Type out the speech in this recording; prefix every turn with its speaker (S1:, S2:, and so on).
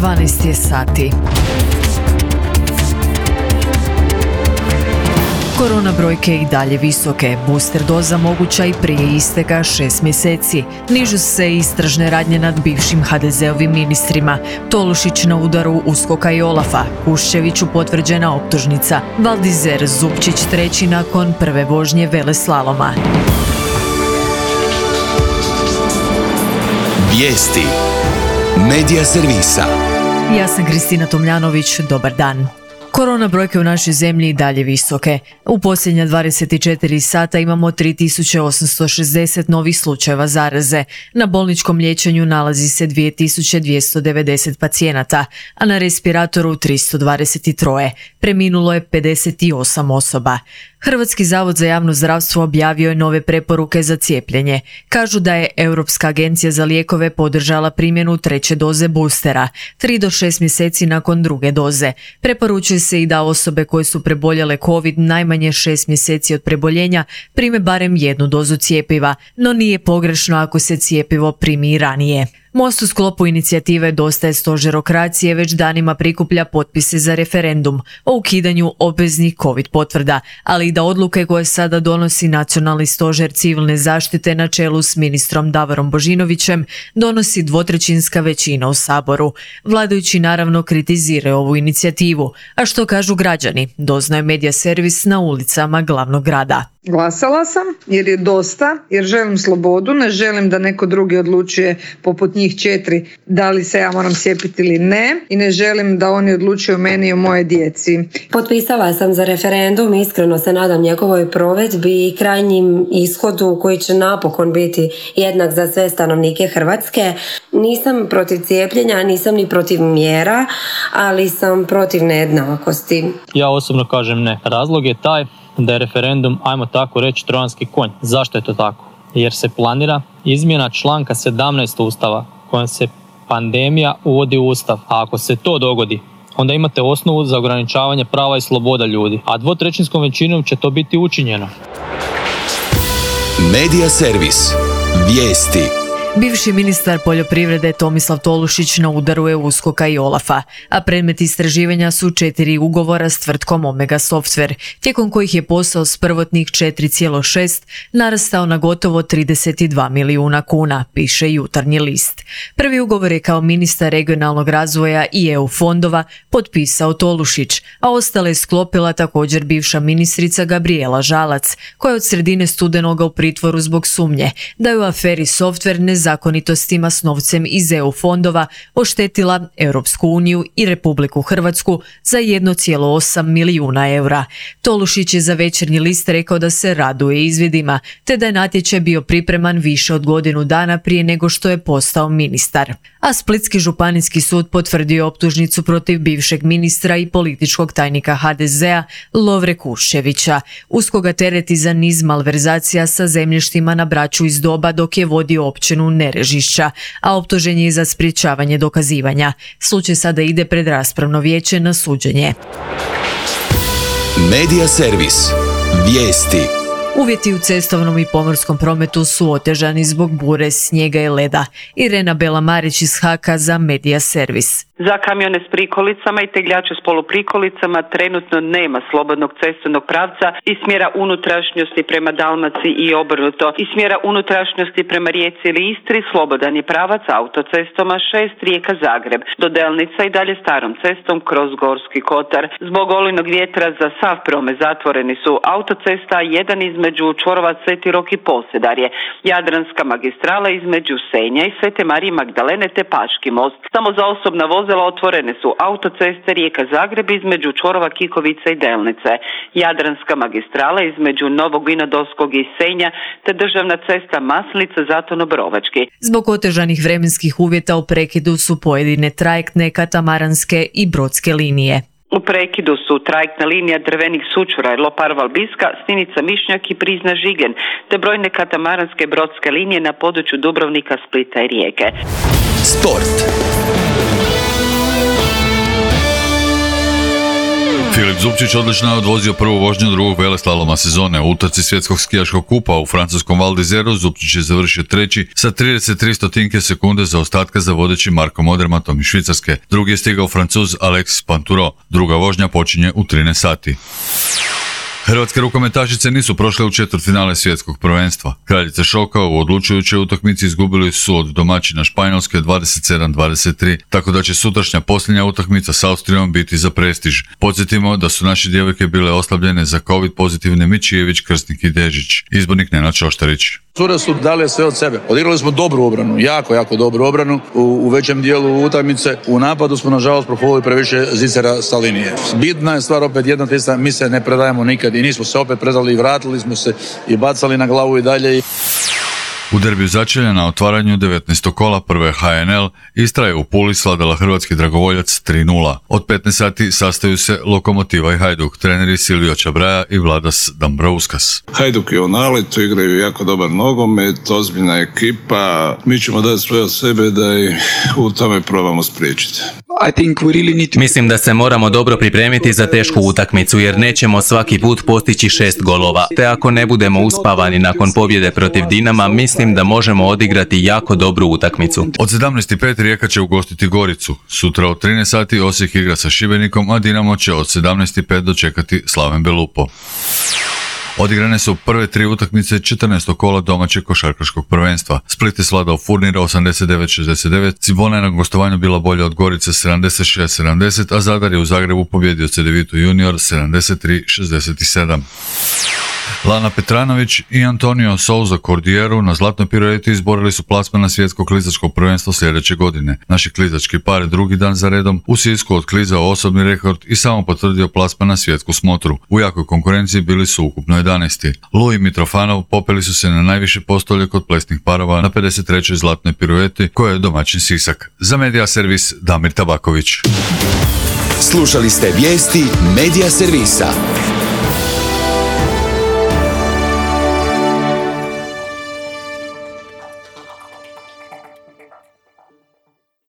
S1: 12 je sati. Korona brojke i dalje visoke, booster doza moguća i prije isteka 6 mjeseci. Nižu se istražne radnje nad bivšim HDZ-ovim ministrima. Tolušić na udaru USKOK-a i OLAF-a, Kuščeviću potvrđena optužnica, Valdizer Zupčić treći nakon prve vožnje veleslaloma.
S2: Vijesti Medija servisa.
S1: Ja sam Kristina Tomljanović, dobar dan. Korona brojke u našoj zemlji i dalje visoke. U posljednja 24 sata imamo 3860 novih slučajeva zaraze. Na bolničkom liječenju nalazi se 2290 pacijenata, a na respiratoru 323. Preminulo je 58 osoba. Hrvatski zavod za javno zdravstvo objavio je nove preporuke za cijepljenje. Kažu da je Europska agencija za lijekove podržala primjenu treće doze boostera, 3 do 6 mjeseci nakon druge doze. Preporučuje se i da osobe koje su preboljele COVID najmanje 6 mjeseci od preboljenja prime barem jednu dozu cjepiva, no nije pogrešno ako se cjepivo primi i ranije. Most u sklopu inicijative Dosta je stožerokracije već danima prikuplja potpise za referendum o ukidanju obveznih COVID potvrda, ali i da odluke koje sada donosi Nacionalni stožer civilne zaštite na čelu s ministrom Davorom Božinovićem donosi dvotrećinska većina u Saboru. Vladajući naravno kritiziraju ovu inicijativu, a što kažu građani, doznaje Medija servis na ulicama glavnog grada.
S3: Glasala sam jer je dosta, jer želim slobodu, ne želim da neko drugi odlučuje poput njih 4 da li se ja moram cijepiti ili ne i ne želim da oni odlučuju o meni i o moje djeci.
S4: Potpisala sam za referendum, iskreno se nadam njegovoj provedbi i krajnjim ishodu koji će napokon biti jednak za sve stanovnike Hrvatske. Nisam protiv cijepljenja, nisam ni protiv mjera, ali sam protiv nejednakosti.
S5: Ja osobno kažem ne. Razlog je taj da je referendum, ajmo tako reći, trojanski konj. Zašto je to tako? Jer se planira izmjena članka 17 Ustava kojom se pandemija uvodi u Ustav. A ako se to dogodi, onda imate osnovu za ograničavanje prava i sloboda ljudi. A dvotrećinskom većinom će to biti učinjeno.
S2: Medija servis. Vijesti.
S1: Bivši ministar poljoprivrede Tomislav Tolušić na udaru je USKOK-a i OLAF-a, a predmet istraživanja su 4 ugovora s tvrtkom Omega Software, tijekom kojih je posao s prvotnih 4,6 narastao na gotovo 32 milijuna kuna, piše Jutarnji list. Prvi ugovor je kao ministar regionalnog razvoja i EU fondova potpisao Tolušić, a ostale je sklopila također bivša ministrica Gabrijela Žalac, koja je od sredine studenoga u pritvoru zbog sumnje da je u aferi Software zakonitostima s novcem iz EU fondova oštetila Europsku uniju i Republiku Hrvatsku za 1,8 milijuna eura. Tolušić je za Večernji list rekao da se raduje izvidima, te da je natječaj bio pripreman više od godinu dana prije nego što je postao ministar. A Splitski županijski sud potvrdio je optužnicu protiv bivšeg ministra i političkog tajnika HDZ-a Lovre Kuščevića. USKOK ga tereti za niz malverzacija sa zemljištima na Braču iz doba dok je vodio općinu Nerežišća, a optužen je za sprječavanje dokazivanja. Slučaj sada ide pred raspravno vijeće na suđenje.
S2: Medija servis. Vijesti.
S1: Uvjeti u cestovnom i pomorskom prometu su otežani zbog bure, snijega i leda. Irena Bela-Marić iz HAK-a za Medija servis.
S6: Za kamione s prikolicama i tegljače s poluprikolicama trenutno nema slobodnog cestovnog pravca iz smjera unutrašnjosti prema Dalmaciji i obrnuto. Iz smjera unutrašnjosti prema Rijeci ili Istri slobodan je pravac autocestama 6 Rijeka-Zagreb. Do Delnica i dalje starom cestom kroz Gorski kotar. Zbog olujnog vjetra za sav promet zatvoreni su autocesta 1 između čvorova Sveti Rok i Posedarje, Jadranska magistrala između Senja i Svete Marije Magdalene te Paški most. Samo za osobna vozila otvorene su autoceste Rijeka-Zagreb između čvorova Kikovice i Delnice, Jadranska magistrala između Novog Vinodolskog i Senja te državna cesta Maslica-Zatono-Brovački.
S1: Zbog otežanih vremenskih uvjeta u prekidu su pojedine trajektne, katamaranske i brodske linije.
S6: U prekidu su trajektna linija Drvenik Sučura, Lopar-Valbiska, Stinica-Mišnjak i Prizna-Žigen, te brojne katamaranske brodske linije na području Dubrovnika, Splita i Rijeke.
S2: Sport.
S7: Filip Zupčić odlično je odvozio prvu vožnju drugog veleslaloma sezone. U utrci svjetskog skijaškog kupa u francuskom Val d'Isère Zupčić je završio treći sa 33 sekunde zaostatka za vodeći Markom Odermatom iz Švicarske. Drugi je stigao Francuz Alexis Pinturo. Druga vožnja počinje u 13 sati. Hrvatske rukometašice nisu prošle u četvrtfinale svjetskog prvenstva. Kraljice šoka u odlučujućoj utakmici izgubili su od domaćina Španjolske 27-23, tako da će sutrašnja posljednja utakmica s Austrijom biti za prestiž. Podsjetimo da su naše djevojke bile oslabljene za COVID pozitivne Mičijević, Krsnik i Dežić. Izbornik Nenad Šoštarić.
S8: Cure su dale sve od sebe. Odigrali smo dobru obranu, jako dobru obranu u većem dijelu utakmice. U napadu smo nažalost profolili previše zicera sa linije. Bitna je stvar opet jedna te ista, mi se ne predajemo nikad i nismo se opet predali i vratili smo se i bacali na glavu i dalje.
S7: U derbiju začelja na otvaranju 19. kola prve HNL Istra je u Puli svladala hrvatski dragovoljac 3:0. Od 15 sati sastaju se Lokomotiva i Hajduk, treneri Silvio Čabraja i Vladas Dambrauskas.
S9: Hajduk je u naletu, igraju jako dobar nogomet, ozbiljna ekipa. Mi ćemo dati sve od sebe da ih u tome probamo spriječiti.
S10: Mislim da se moramo dobro pripremiti za tešku utakmicu jer nećemo svaki put postići 6 golova. Te ako ne budemo uspavani nakon pobjede protiv Dinama, mislim da možemo odigrati jako dobru utakmicu.
S7: Od 17:05 Rijeka će ugostiti Goricu. Sutra od 13 sati Osijek igra sa Šibenikom, a Dinamo će od 17:05 dočekati Slaven Belupo. Odigrane su prve 3 utakmice 14. kola domaćeg košarkaškog prvenstva. Split je svladao Furnira 89-69, Cibona je na gostovanju bila bolja od Gorice 76-70, a Zadar je u Zagrebu pobjedio CDVitu Junior 73-67. Lana Petranović i Antonio Souza Cordieru na zlatnoj pirueti izborili su plasman na svjetsko klizačko prvenstvo sljedeće godine. Naši klizački par drugi dan za redom u Sisku otklizao osobni rekord i samo potvrdio plasman na svjetsku smotru. U jakoj konkurenciji bili su ukupno 11. Luj i Mitrofanov popeli su se na najviše postolje kod plesnih parova na 53. zlatnoj pirueti koja je domaćin Sisak. Za Medija servis Damir Tabaković.
S2: Slušali ste vijesti Medija servisa.